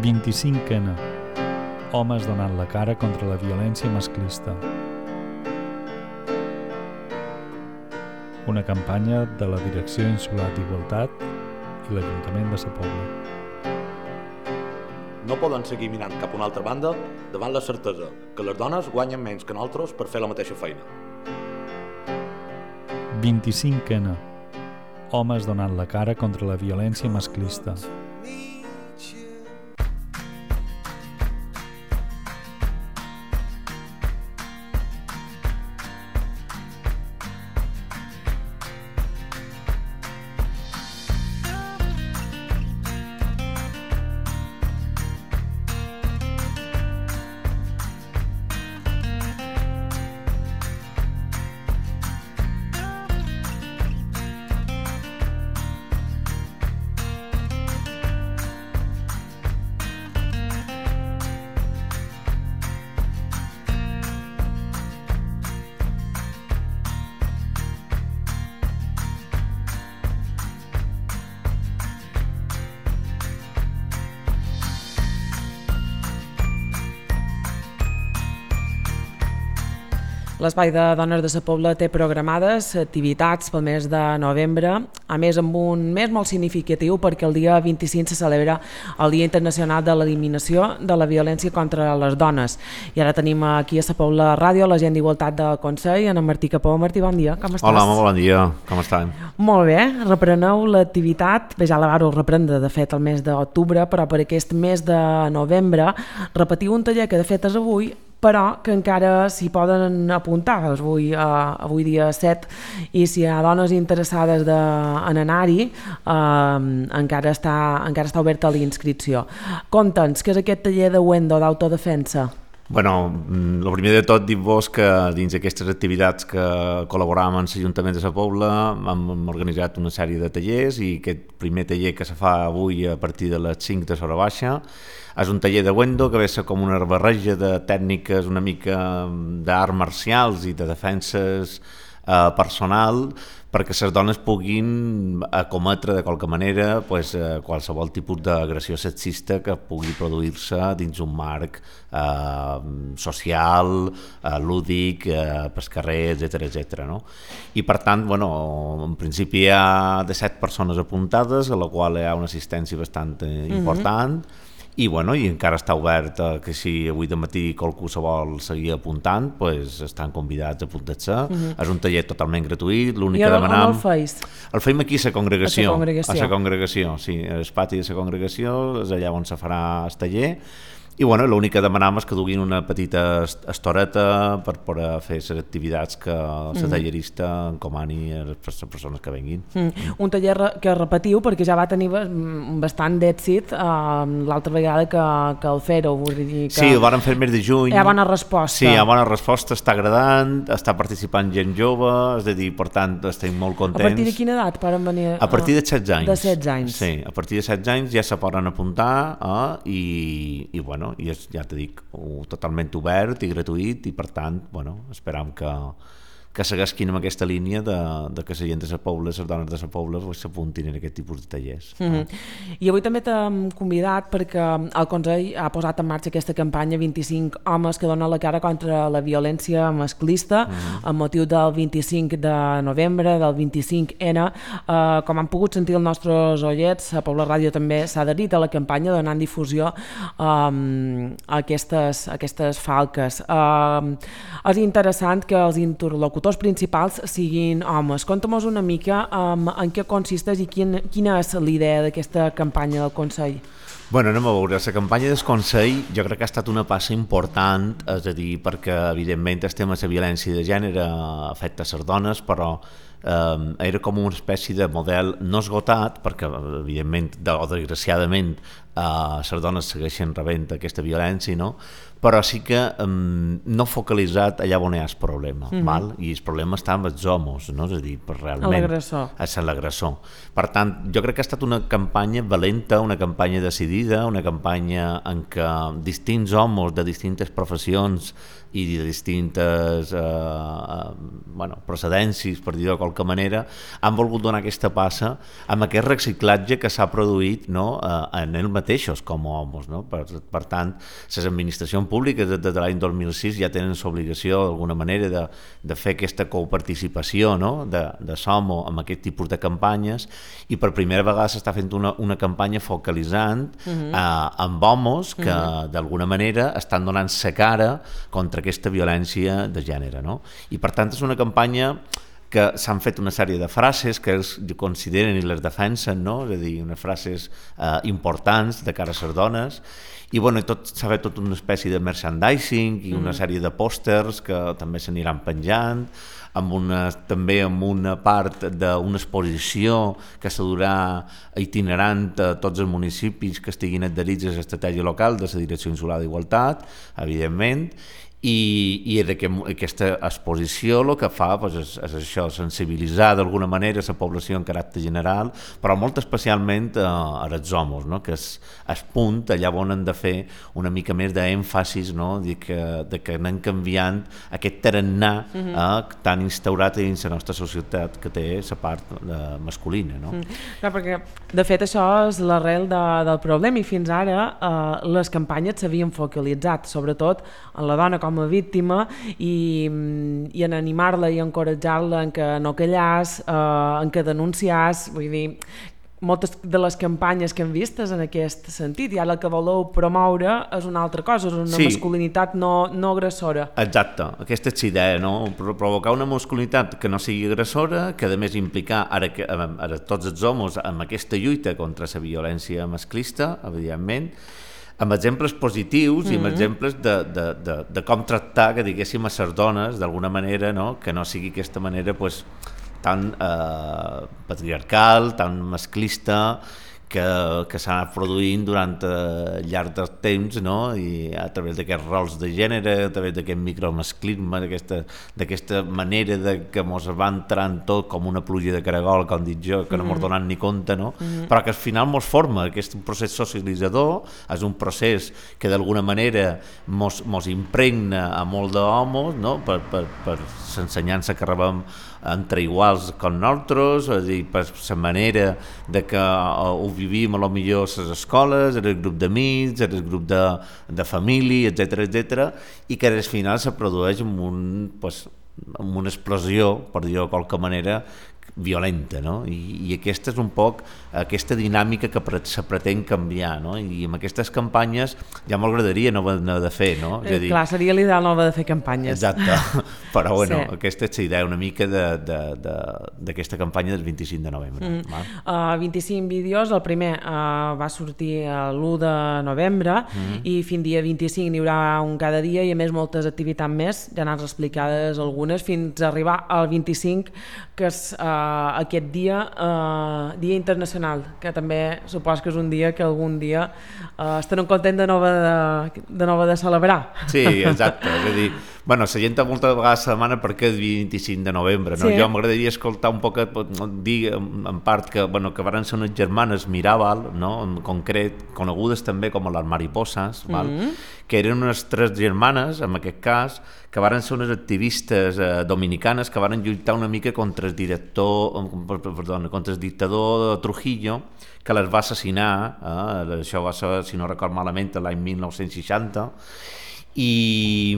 25N. Homes donant la cara contra la violència masclista. Una campanya de la Direcció Insular d'Igualtat i l'Ajuntament de Sa Pobla. No poden seguir mirant cap a una altra banda davant la certesa que les dones guanyen menys que nosaltres per fer la mateixa feina. 25N. Homes donant la cara contra la violència masclista. L'Espai de Dones de Sa Pobla té programades activitats pel mes de novembre, a més amb un mes molt significatiu perquè el dia 25 se celebra el Dia Internacional de l'Eliminació de la Violència contra les Dones. I ara tenim aquí a Sa Pobla Ràdio l'agent d'Igualtat del Consell, en Martí Capó. Martí, bon dia, com estàs? Hola, molt bon dia, com estan? Molt bé, repreneu l'activitat, bé, ja la vareu reprendre de fet el mes d'octubre, però per aquest mes de novembre repetiu un taller que de fet és avui, però que encara s'hi poden apuntar, avui dia 7, i si hi ha dones interessades en anar-hi, encara està oberta l'inscripció. Conta'ns, què és aquest taller de Wendo d'autodefensa? Bueno, el primer de tot dir-vos que dins d'aquestes activitats que col·laboràvem amb l'Ajuntament de Sa Pobla hem organitzat una sèrie de tallers i aquest primer taller que se fa avui a partir de les 5 de l'hora baixa és un taller de Wendo que ve a ser com una barreja de tècniques una mica d'arts marcials i de defenses personal perquè les dones puguin acometre de qualque manera qualsevol tipus d'agressió sexista que pugui produir-se dins un marc social, lúdic, pel carrer, etc. No? I per tant, en principi hi ha 17 persones apuntades, a la qual hi ha una assistència bastant important, i encara està obert que si avui de matí qualcú se vol seguir apuntant, estan convidats a apuntar-se. És un taller totalment gratuït, l'únic que demanem... I on el feis? El feim aquí a la congregació. A la congregació, sí, al pati de la congregació, és allà on se farà el taller. I l'únic que demanam és que duguin una petita estoreta per poder fer les activitats que la tallerista encomani a les persones que venguin. Un taller que repetiu perquè ja va tenir bastant d'èxit l'altra vegada que el fèreu. Sí, ho vàrem fer el mes de juny. Hi ha bona resposta. Sí, hi ha bona resposta, està agradant, està participant gent jove, és a dir, per tant, estem molt contents. A partir de quina edat poden venir? A partir de 16 anys. De 16 anys. Sí, a partir de 16 anys ja se poden apuntar i és, ja t'he dit, totalment obert i gratuït i per tant, esperam que segueixin amb aquesta línia de que la gent de Sa Pobla, les dones de Sa Pobla s'apuntin en aquest tipus de tallers. I avui també t'hem convidat perquè el Consell ha posat en marxa aquesta campanya 25 homes que donen la cara contra la violència masclista amb motiu del 25 de novembre, del 25N. Com han pogut sentir els nostres oients, a Pobla Ràdio també s'ha adherit a la campanya donant difusió a aquestes falques. És interessant que els interlocutors principals siguin homes. Conta'm una mica en què consisteix i quina és l'idea d'aquesta campanya del Consell. Anem a veure, la campanya del Consell jo crec que ha estat una passa important, és a dir, perquè evidentment el tema de la violència de gènere afecta les dones, però era com una espècie de model no esgotat, perquè evidentment o desgraciadament les dones segueixen rebent aquesta violència, no? Però sí que no focalitzat allà on hi ha el problema, i el problema està amb els homes, no? És a dir, realment és l'agressor. Per tant, jo crec que ha estat una campanya valenta, una campanya decidida, una campanya en què distints homes de distintes professions i de distintes procedències, per dir-ho de qualque manera, han volgut donar aquesta passa amb aquest reciclatge que s'ha produït, no, en ells mateixos com a homes. No? Per tant, les administracions públiques des de l'any 2006 ja tenen l'obligació d'alguna manera de fer aquesta coparticipació, no? de SOMO amb aquest tipus de campanyes, i per primera vegada s'està fent una campanya focalitzant amb homes que d'alguna manera estan donant la cara contra aquesta violència de gènere. No? I per tant és una campanya que s'han fet una sèrie de frases que ells consideren i les defensen, no? És a dir, unes frases importants de cara a les dones, i bueno, s'ha fet tota una espècie de merchandising i una sèrie de pòsters que també s'aniran penjant, també amb una part d'una exposició que s'ha durà itinerant a tots els municipis que estiguin adherits a l'estratègia local de la Direcció Insular d'Igualtat, evidentment, i aquesta exposició el que fa és això, sensibilitzar d'alguna manera la població en caràcter general, però molt especialment als homes, no? Que és el punt allà on han de fer una mica més d'èmfasis, no? de que anem canviant aquest tarannà tan instaurat dins la nostra societat que té la part masculina. No? Clar, perquè de fet això és l'arrel del problema, i fins ara les campanyes s'havien focalitzat sobretot en la dona com a víctima i en animar-la i encoratjar-la en que no callàs, en que denunciàs, vull dir, moltes de les campanyes que hem vistes en aquest sentit, i ara el que voleu promoure és una altra cosa, és una masculinitat no agressora. Exacte, aquesta és la idea, no? Provocar una masculinitat que no sigui agressora, que a més implicar ara tots els homes en aquesta lluita contra la violència masclista, evidentment, amb exemples positius i amb exemples de com tractar, que diguéssim, a les dones d'alguna manera, no? Que no sigui aquesta manera tan patriarcal, tan masclista, que s'ha anat produint durant el llarg del temps, no? I a través d'aquests rols de gènere, a través d'aquest micromasclisme, d'aquesta manera que ens va entrant tot com una pluja de caragol, com dic jo, que no ens donem ni compte, no? Però que al final ens forma, aquest procés socialitzador és un procés que d'alguna manera ens impregna a molt d'homes, no? Per l'ensenyança que rebem entre iguals com nosaltres, és a dir, per la manera de que ho vivim a lo millor a les escoles, en el grup d'amics, en el grup de família, etc, i que al final se produeix amb una explosió, per dir-ho de qualque manera, violenta, no? I aquesta és un poc aquesta dinàmica que se pretén canviar, no? I amb aquestes campanyes ja m'agradaria no haver de fer, no? És a dir, clar, seria l'ideal no haver de fer campanyes. Exacte, però bueno, aquesta és la idea una mica d'aquesta campanya del 25 de novembre. 25 vídeos, el primer va sortir l'1 de novembre i fins dia 25 n'hi haurà un cada dia, i a més moltes activitats més, ja n'has explicades algunes, fins a arribar al 25, que és aquest dia internacional, que també supos que és un dia que algun dia estarem contents de nova de celebrar. Sí, exacte, és a dir, bueno, la gent moltes vegades se demana per què el 25 de novembre, no? Sí. Jo m'agradaria escoltar un poc, dir en part que varen ser unes germanes Mirabal, no? En concret, conegudes també com les mariposas, que eren unes 3 germanes, en aquest cas, que varen ser unes activistes dominicanes que varen lluitar una mica contra el dictador Trujillo, que les va assassinar, això va ser, si no record malament, l'any 1960, i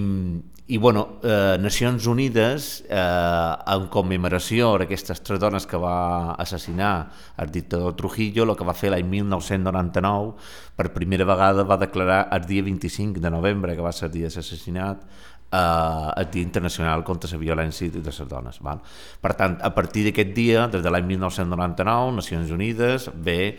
bueno, Nacions Unides, en commemoració d'aquestes 3 dones que va assassinar el dictador Trujillo, el que va fer l'any 1999, per primera vegada va declarar el dia 25 de novembre, que va ser el dia de l'assassinat, el Dia Internacional contra la Violència de les Dones. Val? Per tant, a partir d'aquest dia, des de l'any 1999, Nacions Unides ve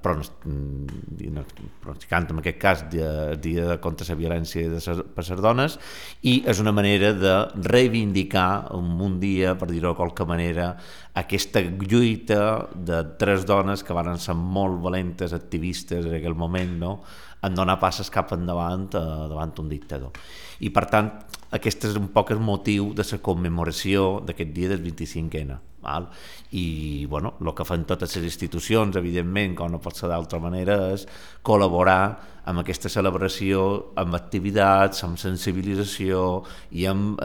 pronosticant en aquest cas el Dia contra la Violència per les Dones, i és una manera de reivindicar un dia, per dir-ho de qualque manera, aquesta lluita de 3 dones que van ser molt valentes, activistes en aquell moment, no? En donar passes cap endavant davant un dictador. I per tant, aquest és un poc el motiu de la commemoració d'aquest dia del 25N. Val? I bueno, el que fan totes les institucions, evidentment, com no pot ser d'altra manera, és col·laborar amb aquesta celebració, amb activitats, amb sensibilització i amb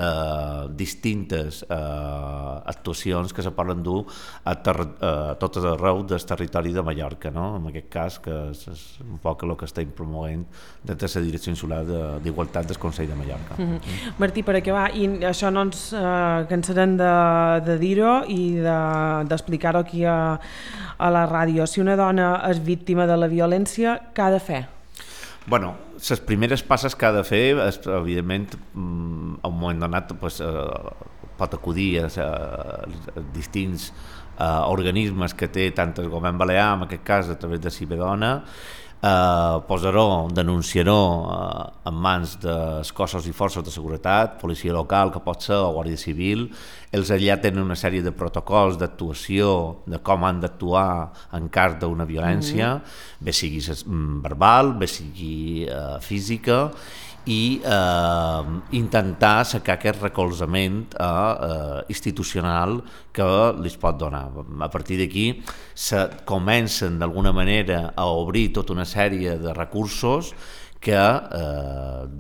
distintes actuacions que se poden dur a tot arreu del territori de Mallorca, no? En aquest cas, que és un poc el que estem promovent des de la Direcció Insular d'Igualtat del Consell de Mallorca. Martí, per acabar, i això no ens cansarem de dir-ho i d'explicar-ho aquí a la ràdio. Si una dona és víctima de la violència, què ha de fer? Bueno, les primeres passes que ha de fer és, evidentment, a un moment donat pot acudir a distints organismes que té tant el govern balear, en aquest cas a través de Cibedona, posar-ho, denunciar-ho en mans dels cossos i forces de seguretat, policia local, que pot ser, o Guàrdia Civil. Ells allà tenen una sèrie de protocols d'actuació, de com han d'actuar en cas d'una violència, bé sigui verbal, bé sigui física, i intentar sacar aquest recolzament institucional que li pot donar. A partir d'aquí comencen d'alguna manera a obrir tota una sèrie de recursos que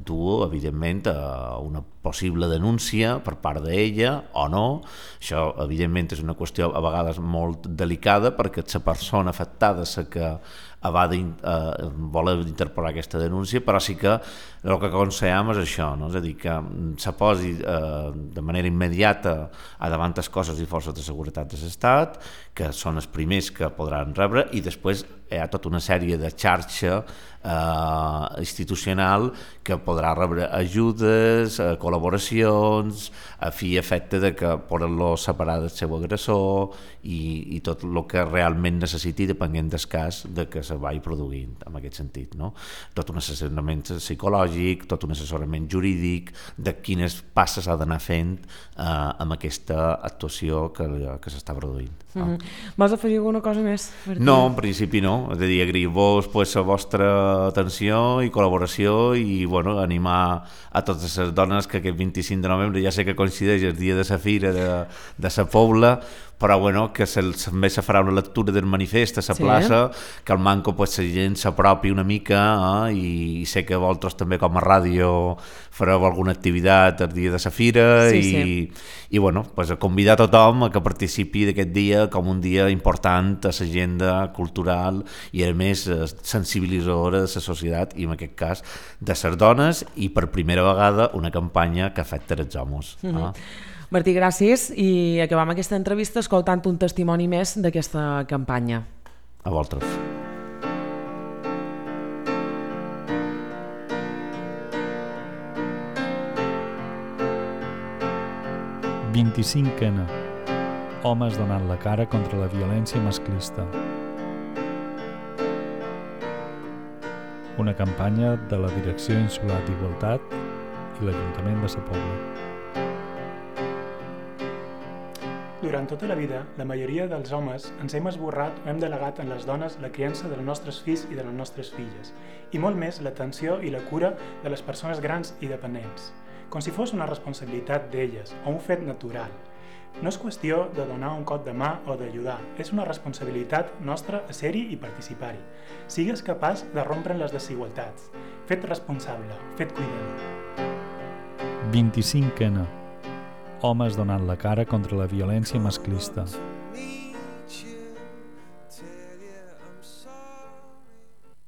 du, evidentment, a una possible denúncia per part d'ella o no. Això, evidentment, és una qüestió a vegades molt delicada perquè la persona afectada és la que va voler interposar aquesta denúncia, però sí que el que aconsellem és això, no? És a dir, que se posi de manera immediata davant les cossos i forces de seguretat de l'Estat, que són els primers que podran rebre, i després hi ha tota una sèrie de xarxa institucional que podrà rebre ajudes, col·laboracions, a fi i efecte de que poden-lo separar del seu agressor i tot el que realment necessiti depenent del cas de que se vagi produint en aquest sentit, no? Tot un assessorament psicològic, tot un assessorament jurídic de quines passes ha d'anar fent amb aquesta actuació que s'està produint. Vols afegir alguna cosa més? No, en principi no, és a dir, agrair-vos la vostra atenció i col·laboració i animar a totes les dones que aquest 25 de novembre, ja sé que coincideix el dia de la fira de la Pobla, però que també se farà una lectura del manifest a la plaça, que al manco la gent s'apropi una mica, i sé que vosaltres també com a ràdio fareu alguna activitat el dia de la fira, i a convidar a tothom a que participi d'aquest dia com un dia important a l'agenda cultural i a més sensibilitzadora de la societat, i en aquest cas de les dones, i per primera vegada una campanya que afecta els homes. Martí, gràcies, i acabam aquesta entrevista escoltant un testimoni més d'aquesta campanya. A vosaltres. «25N. Homes donant la cara contra la violència masclista». Una campanya de la Direcció Insular d'Igualtat i l'Ajuntament de Sa Pobla. Durant tota la vida, la majoria dels homes ens hem esborrat o hem delegat en les dones la criança dels nostres fills i de les nostres filles, i molt més l'atenció i la cura de les persones grans i dependents, com si fos una responsabilitat d'elles o un fet natural. No és qüestió de donar un cop de mà o d'ajudar, és una responsabilitat nostra a ser-hi i participar-hi. Sigues capaç de rompre les desigualtats. Fet responsable, fet cuidador. 25N. Homes donant la cara contra la violència masclista.